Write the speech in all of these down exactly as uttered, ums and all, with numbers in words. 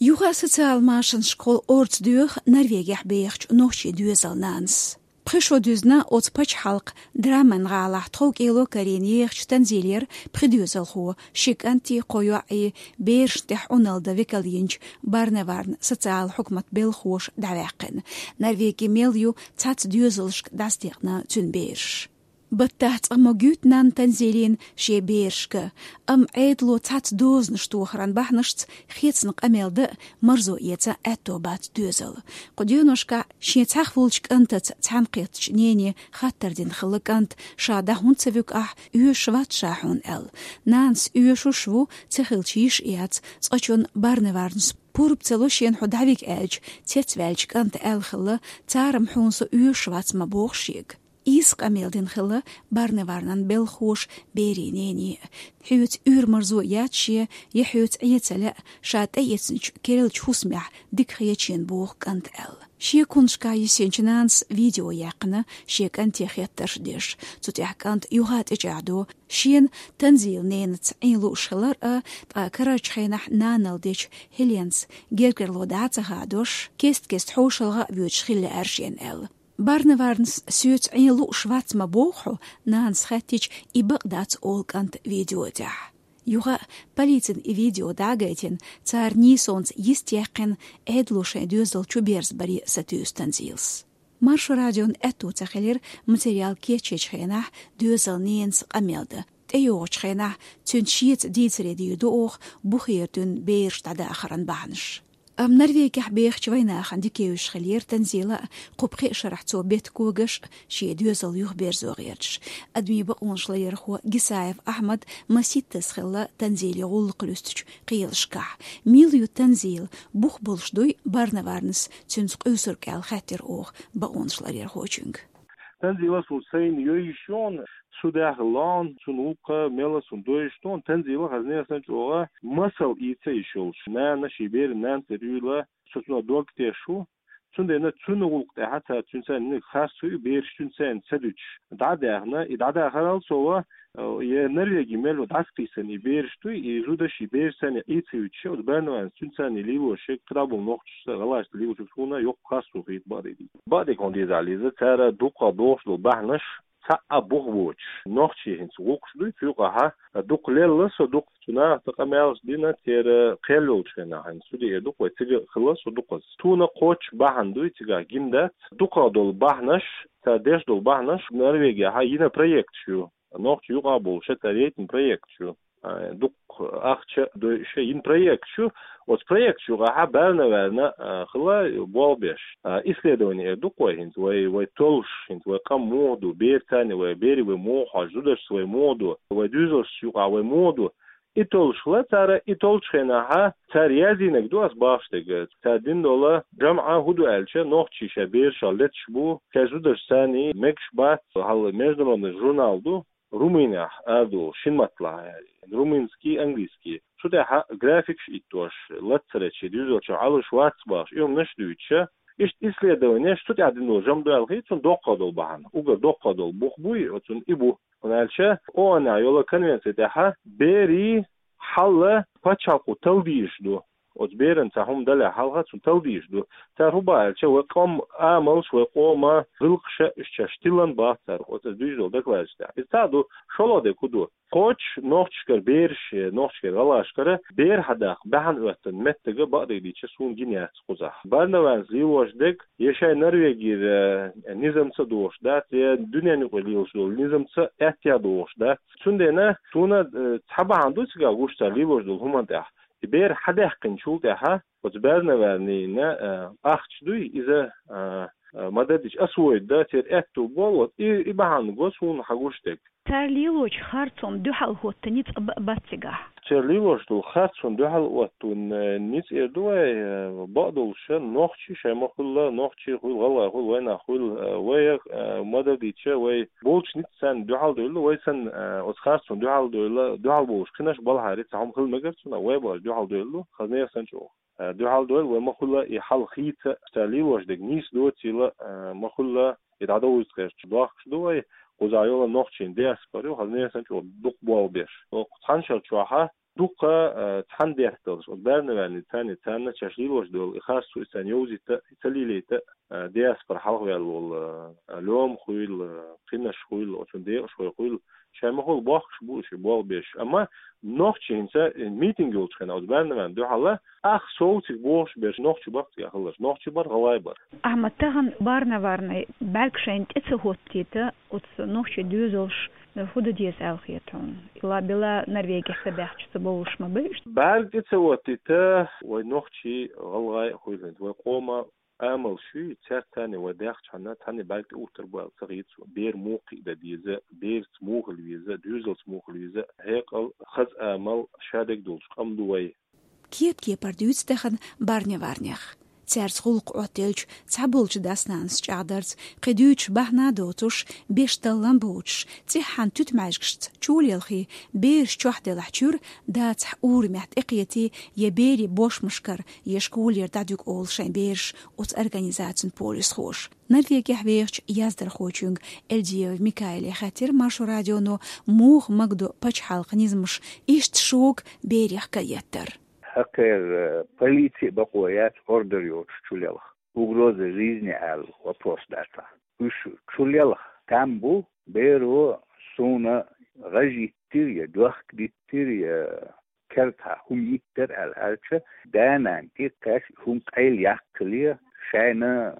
Юха социал машанашкахула орца доьху Норвегехь бехачу нохчийн доьзалнанас. Пхи шо дуьзна оцу пачхьалкхан Драммен гӀалахь тховкӀело карийна ехачу Танзилера пхи доьзалхо, ши кӀанти кхо йоӀи, берашна тӀехь Ӏуналла дан векал йинчу Барневарн социал хьукмат белхахоша дӀаваьккхина. Норвеги мел ю цхьацца доьзалшка дӀасадекъна цуьнан бераш. Баттахь цкъа ма гуьту нанна Танзилина шен берашка, амма Ӏедало цхьацца дозанаш тохаран бахьанашца хецна къамел дан а, марзо эцан а аьтто бац доьзалан. Кху деношкахь шен цхьаьхволчу кӀантаца цхьаьнакхеттачу нене хаттар дина хилла кӀанта, ша дӀа хӀунда ца вуьгу ахь, оьшуш вац ша хьуна аьлла. Нанас оьшуш ву, ца хилча йиш а яц, цкъачунна Барневарнас пурба ца ло шена хьо дӀавига аьлча, цецваьллачу кӀанта аьлла хилла, цара-м хьуна со оьшуш вац ма боху шега. Иса къамел дина хилла Барневарнан белхахоша берийн нене а. Хьоьца уьйр-марзо яц шен, я хьоьца Ӏен ца лаьа, ша тӀеэцначу керлачу хӀусамехь дика хеташ ю боху кӀанта аьлла. Шен кхунашкахь йисинчу нанас видео яьккхина, шен кӀанте хеттарш деш. Цу тӀехь кӀант юха тӀечӀагӀдо, шена Танзилан ненаца Ӏен лууш хилар а, ткъа карарчу хенахь нанал дечу Хеленаца гергарло дӀа а ца хадош, кест-кеста хьошалгӀа а воьдуш хилла аьлла шена аьлла. Барневарнас соьца Ӏен лууш вац ма боху хьо, нанас хаьттича, и бакъ дац олу кӀанта видео тӀехь. Юха а полицина и видео дӀа а гайтина, цара нийсонца йист яьккхина, Ӏедало шайн доьзал чу берзабаре сатуьйсу Танзилас. Маршо радион аьтто ца хилира материал кечъечу хенахь доьзалан ненас къамел дан. ТӀейогӀучу хенахь цуьнца шеца дийцаре дийр ду оха бухера дуьйна бераш дӀадахаран бахьанаш. Амма Норвегехь бехачу вайнахана дика евзаш хиллера Танзила а, кху пхи шарахь цо беттан когаш а, шен доьзал юхаберзо гӀерташ. Адамийн бакъонаш ларъярхо Гисаев Ахьмад масийттаза хилла Танзиле гӀуллакх луьстучу кхелашкахь. Мила ю Танзила, бух болуш дуй Барневарнас цуьнца къуьйсург аьлла хаьттира оха бакъонаш ларъярхочуьнга. Танзила суна сайна йойуш йогӀу, цу даьхьа лоӀна, цуьнан гӀуллакх мела суна дойуш йогӀу, Танзила хазна а санна чӀогӀа масал ийца йиш йолуш. Нана шен беран нана тера юйла, со цунах дог теш ву. Цундела цуьнан гӀуллакх тӀехь цара цуьнца ниг харц ву, бераш цуьнца ца дуьтуш дӀа а даьхна, и дӀадахарал цо ва, э, я Норвеги мел ву дӀасакхийсина и бераш дуй, и зуда шен бераш санна Ӏийца вуьтуш, оцу Барневарнас цуьнца лелош ерг кхидӀа болу нохчашца, гӀалгӀашца лелош ерг суна йоккха харц ву хета бакъдерг. Бакъдерг хӀун деза леза, цара дуккха дохуш долу бахьанаш цхьа а бух боцуш, нохчий хӀинца гӀуллакхаш дуй, цу юкъахь дукха лелла со, дукха цу нахаца къамелаш дина, церан кхел йолчу хенахь, хӀинца цу деа дукха вай цига хилла со дукхаза. Суна кхоччуш бахьана дуй, цигахь гина дац, дукха долу бахьанаш, цара деш долу бахьанаш, Норвегехь йина проекташ ю. Нохчий юкъахь болуш цара яйтина проекташ ю. А, дукха ахча дойуш йина проекташ ю. Оцу проекташ юкъахь Барневарна, а, хилла болх беш. А, исследование эр ду-кх вай хӀинца, вай, вай толлуш, хӀинца вай къам муха ду, бераца вай, берийн вай муха хьожу, зударшца вай муха ду, вай доьзалшца юкъахь вай муха ду. И толлуш хилла цара, и толлучу хенахь цара яздинарг ду ас бахаш дерг. Цара дина долу жамӀа хӀун ду аьлча, нохчий шайн бераш леташ бу, шайн зударшца мегаш бац, хьал международный журнал ду, Румынехь арадолу шина матталахь, румынский, английский. Цу тӀехь графикаш иттош, лацарачий, дуьзалчу Ӏалуш вац бахаш, и хӀуманаш дуьйцуша. Иштта исследованеш цу тӀехь дина долу жамӀ ду аьлла хета суна доккха долу бахьана. Уггар доккха долу бух буй, оцунна и бу. ХӀунда аьлча, ООН-ехь йолу конвенци тӀехь берийн хьал пачхьалкхо талла дезаш ду. Оцу берана цхьа хӀума далехь хьалха цунна талла дезаш ду. Цара хӀун боху аьлча, вай къам амалш, вай къоман гӀиллакхаш, уьш шаьш тиллина боху цара оцу дуьйцуш долу докладаш тӀехь. Иза цхьаъ ду, шолгӀа дерг хӀун ду? Кхоччуш нохчашкара бераш, нохчашкара гӀалгӀашкара бер хьадаккха бахьана хӀоьттина меттиг бакъдерг дийцича суна гина яц кхузахь. Барневарнас лелош дерг я шайн Норвегера, э, низамца а догӀуш дац, я дуьненаюкъара лелаш долу низамца а, аьттехьа а догӀуш дац. Цундела суна, э, цхьа бахьана ду цигахь гуш цара лелош долу хӀуманна тӀехь. И бер хьадаьккхинчул тӀаьхьа оцу Барневарнина, э, ахча дуй, иза, э, э, ма-дарра дийцича, освоить дан церан аьтто бу, вот, и, и бахьана го суна хьан гуш дерг. Цара лелочу харцонна дуьхьал хӀоттийна ницкъ б-, бац цигахь. Цара лелош долу харцонна дуьхьал хӀоттийна, э, ницкъ эр ду вай, э, бакъдолуш, нохчий шайн ма хуьлла, нохчий хуьлу, гӀалгӀай хуьлу, вайнах хуьлу, э, вай, э, ма-дарра дийцича, вай болчу ницкъаца дуьхьал довлу, вай санна, э, оцу харцонна дуьхьал довлу, дуьхьал болуш кхинаш балхьари цхьа хӀума хила мегар цунах, вай бахаш дуьхьал довлу, хазна а санна чӀогӀа. Э, дуьхьал довлу, вай ма хуьлла и хьал хийца, цара лелош дерг нийса доцийла, э, ма хуьлла и дӀадовзийта гӀерташ дохкуш ду вай, кхузахь йолу нохчийн диаспора ю, хазна а санна чӀогӀа дукха болх беш. Оцу цхьана шарчохь Дукха, э, цхьана детталаш, оцу барнаварнийн царна, царна чаш лелош долу и харцо, и царна йовзийта, и ца лелийта, э, диаспора хьалхаваьлла волу, э, лоьма хуйла, кхинаш хуйла, оцу декъашхой хуйла, шайн махула бохкуш бу уьш болх беш. Амма нохчий хӀинца, э, митинг йолчу хенахь оцу барнаварна дуьхьал, ах совциг бохуш берш нохчий баккха тӀехь хиларш, нохчий бар, гӀалгӀай бар. Ахьмад, тахана барнаварна бӀаьрг шайна тӀе ца хӀоттийта, оцу нохчий доьзалш хӀун дан деза аьлла хета хьуна? Ила била Норвегехь ца баьхча ца бовлуш ма бу уьш? БӀаьрг тӀе ца хӀоттийта, вай нохчий, гӀалгӀай а хуьлу хӀинца, вай къоман амалш ю, цаьрца царна вай даьхча хьана, царна бӀаьрг тӀе уттар бу аьлла ца хета суна. Бер муха кхиа дан деза, берца муха хила веза, доьзалца муха хила веза, хьекъал, хаза амал, шадерг долуш къам ду вай. Кеп-кепара дуьйцу тахана барнаварнех. Цаьрца гӀуллакх Ӏоттаелча, цхьаболчу дас-нанас чӀагӀдарца, кхин дуьйцуш бахьана доцуш, беш таллам боцуш, цӀеххьана туьтмаьжгашца чулелхий, бераш чохь делахь чуьра, дацахь урамехь тӀекхетий, я берийн бошмашкара, я школера дӀадуьгу олу шайн бераш оцу организацин полисхоша. Норвегехь вехачу яздархочуьнга Эльдиева Микаиле хаьттира Маршо радионо, муха магадо пачхьалкхан низамаш иштта шога берех караэттар. ХӀокхара, э, полици а бакъо яц ордер йоцуш чулелха. Угроза жизни аьлла вопрос дац. Уьш чулелха там бу, беро суна гӀаж йиттира я доьхка диттира, я кертахь хӀума йиттира аьлла аьлча, да-нана тӀекхаьчча хӀума къайла яккхале, шайна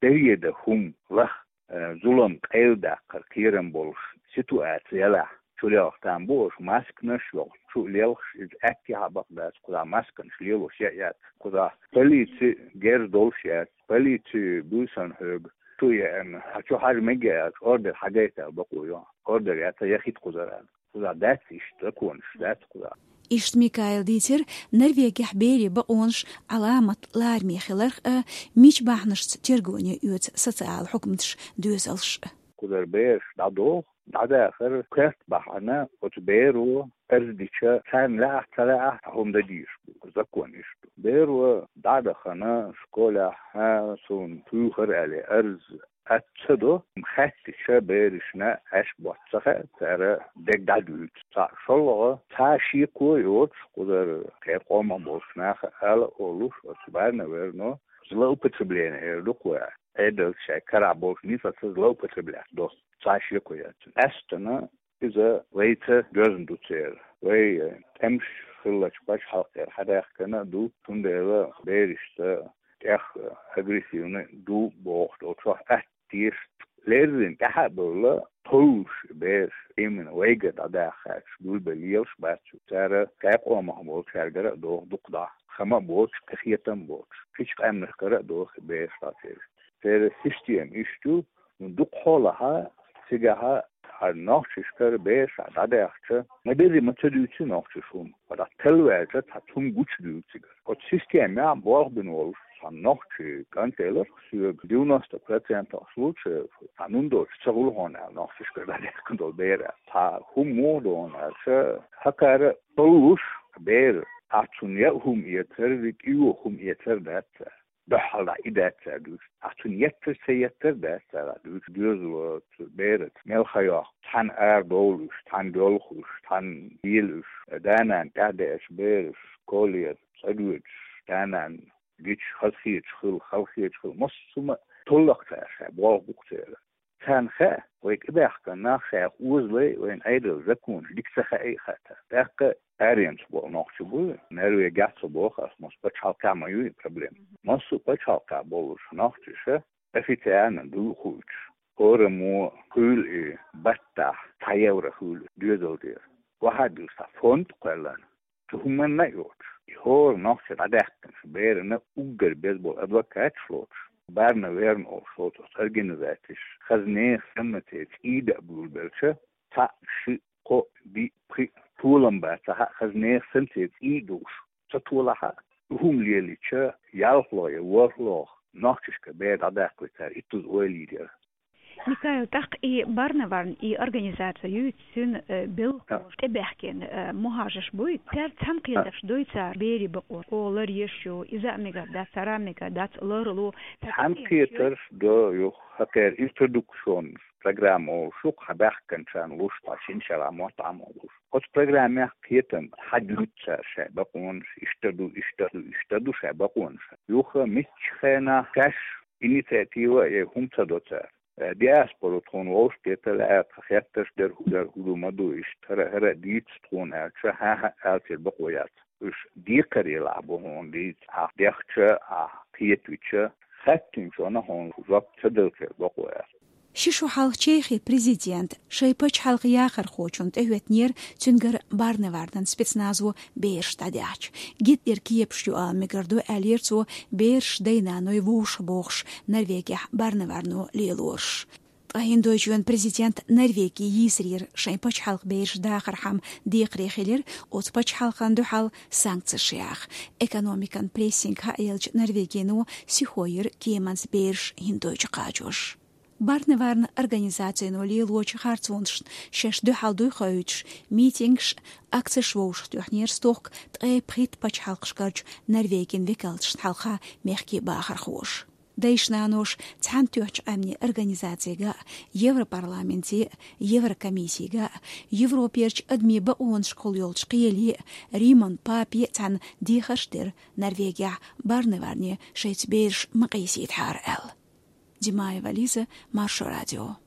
дареда хӀума лаха, э, зулам къайладаккхар кхерам болуш ситуация ялахь, чулелха там бу уьш, масканаш йохуш, чулелхаш, иза аьттехьа бакъ дац, кхузахь масканаш лелош яа яц, кхузахь полици герз долуш яц, полици буьйсан хьоьга, чу еана, хьан чу хьажа мега аьлча, ордер хьагайта аьлла бакъо йо, ордер яц, яхийта кхузара аьлла. Кхузахь дац иштта законаш, дац кхузахь. Иштта Микаила дийцира Норвегехь берийн бакъонаш Ӏаламат лараме хиларх а, мича бахьанашца тергоне оьцу социалан хьукматаш, доьзалш а. Кхузара бераш дӀадоху, дӀадахар коьрта бахьана, оцу беро арз дича, царна лаахь а, ца лаахь а, хӀума дан дийш бу, закон иштта ду. Беро дӀа а дахана, школехь, хьан суна туьйхира аьлла арз, Ат ца до, хаьттича берашна Ӏаш ботт ца хаьа, цара дег дӀадуьйцу. Цхьаъ шолгӀа, цхьа шеко йоцуш, кхузара кхеран къомах болчу наха ала олуш, оцу барнаварно злоупотребление эр ду кхо а. Ӏедалца шайн карахь болчу ницкъаца злоупотреблять до. Цхьа шеко яц. Астана иза вайца доьзна ду церан. Вай тӀемаш хиллачу пачхьалкхера хьадаьхкина а ду, цундела берашца тӀех агрессивни ду бохуш долчохь атта теша леррина тӀаьхьа а бевлла, товлуш бераш именно вайгара дӀадахча, гулбелла лелаш бац уьш. Цара кхеран къомах болчаьргара а доху дукха дӀа. Хама а боцуш, кхетам а боцуш, кхечу къаьмнашкара а доху бераш дӀа церан. Церан система иштта ю, ну, дукха хьолахь, цигахь хьан нохчашкара бераш дӀадаьхча, ма-дарра ма ца дуьйцу нохчаша хӀума. Ткъа дӀа талла ваьлча, цхьа цунна гучудуьйцу цигара. Оцу системехь болх бина волуш цхьа нохчи кӀант элира соьга, девяносто процентов случаев цхьа нун доцуш ца хуьлу хьуна аьлла, нохчашкара дӀадаьхкина долу бер аьлла. Цхьа хӀума муха ду хьуна аьлча, хӀокхара таллуш бер, ахь цунна яа хӀума эцар, кӀио хӀума эцар дац цара. Дуьххьал дӀа и дац цара дуьйцу. Ахь цунна етташ ца еттар дац цара дуьйцу. Доьзало, цу бераца мел ха йоккху, цхьаьна арадовла уьш, цхьаьна доьлху уьш, цхьаьна дийла уьш. Да-нана тӀаьхьадеача бераш школера цӀа доьдуш, да-нана гича хазахеташ хила, халахеташ хила, массо а хӀума толлакх цара шайн болх бу-кх церан. Царна хаьа, вай тӀебаьхкина нах шайх озале, вайна Ӏедалан законаш дика ца хаьа а хаьа. ТӀаккха аренца болу нохчий бу, Норвегехь а ца боху ас, массо а пачхьалкхехь ма ю и проблема. Массо а пачхьалкхехь болуш нохчаша официально дуй хуьлуш, хӀораммо хуьлу и баттахь цхьа евро хуьлу доьзал дера. Вахьа дуьйцу цхьа фонд кхоьллина. Цу хӀуманна а йоцуш, и хӀора нохча дӀадаьхкинчу берана уггар беза болу адвокаташ лоцуш, Барна верна олуш лоцу оцу организацеш, хаза нехан санна церан цӀий даа буьйлабелча, цхьаъ, шиъ, кхоъ, диъ, пхиъ, толам бацахь а, хаза нехан санна церан цӀий а дууш ца толахь а, хӀума лелийча, ялхло я ворхӀло нохчашка бер дӀадаккхале цара иттаза ойла йийр яра. Микаил, тӀаккха и Барна верна, и организация юй, цуьнан, э, белхалоша тӀебаьхкина, э, мухӀажарш буй, цаьрца цхьаьнакхетарш дуй цара берийн бакъо, о, лар еш ю, иза а мегар дац, цара а мегар дац, ларло. Цхьаьнакхетарш до юха, хӀокхеран интродукцион программа олуш ю, хьа баьхкинчарна луш, ткъа шина шера мотт Ӏамалуш. Оцу программехь кхетам хьадуьйцу цара шайн бакъонаш, иштта ду, иштта ду, иштта ду шайн бакъонаш. Юха муьлххачу хенахь шаьш инициатива а яй хӀума ца до цара. Э, диаспора тхуна вовшахкхета лаьара, тхан хеттарш дара, хӀун дара, хӀун ду, ма ду, иштта хӀара, хӀара дийца тхуна аьлча, хьан-хьа аьлча бакъо яц. Уьш декхарийлахь бу хьуна дийца, ахь дехча, ахь кхетавича, хаьттинчунна хьуна жоп ца делча бакъо яц. Ши шу хьалха Чехин президент шайн пачхьалкхан яхархочунна тӀехӀоьттинера, цуьнгара Барневарнан спецназо бераш дӀадаьхьча. Гитлеран кепаш ю ала мегар ду, аьллера цо, бераш дай-наной вовшахбохуш Норвегехь Барневарно лелораш. Ткъа ХӀиндойчоьнан президент Норвеге йийсарера шайн пачхьалкхан бераш дахархьама декхаре хилира оцу пачхьалкхана дуьхьал санкцеш яха. Экономикан прессинг хьаелча Норвегино сихо йира кеманца бераш ХӀиндойчу кхачош. Барневарнан организацино лелочу харцонашна шаьш дуьхьал дуй хоуьйтуш, митингаш, акцеш вовшахтоьхнера стохка ткъе пхийтта пачхьалкхашкарчу Норвегин векалшна хьалха мехкийн бахархоша. Дайша-наноша Цхьаьнатоьхначу Къаьмнийн Организацига а, Европарламенте а, Еврокомиссига а, Европерчу адамийн бакъонашкахула йолчу кхеле а, Риман папе а цхьаьна дехарш дира Норвегехь Барневарне шайца бераш ма къийсийтахьара аьлла. Димаева Лиза, Маршо радио.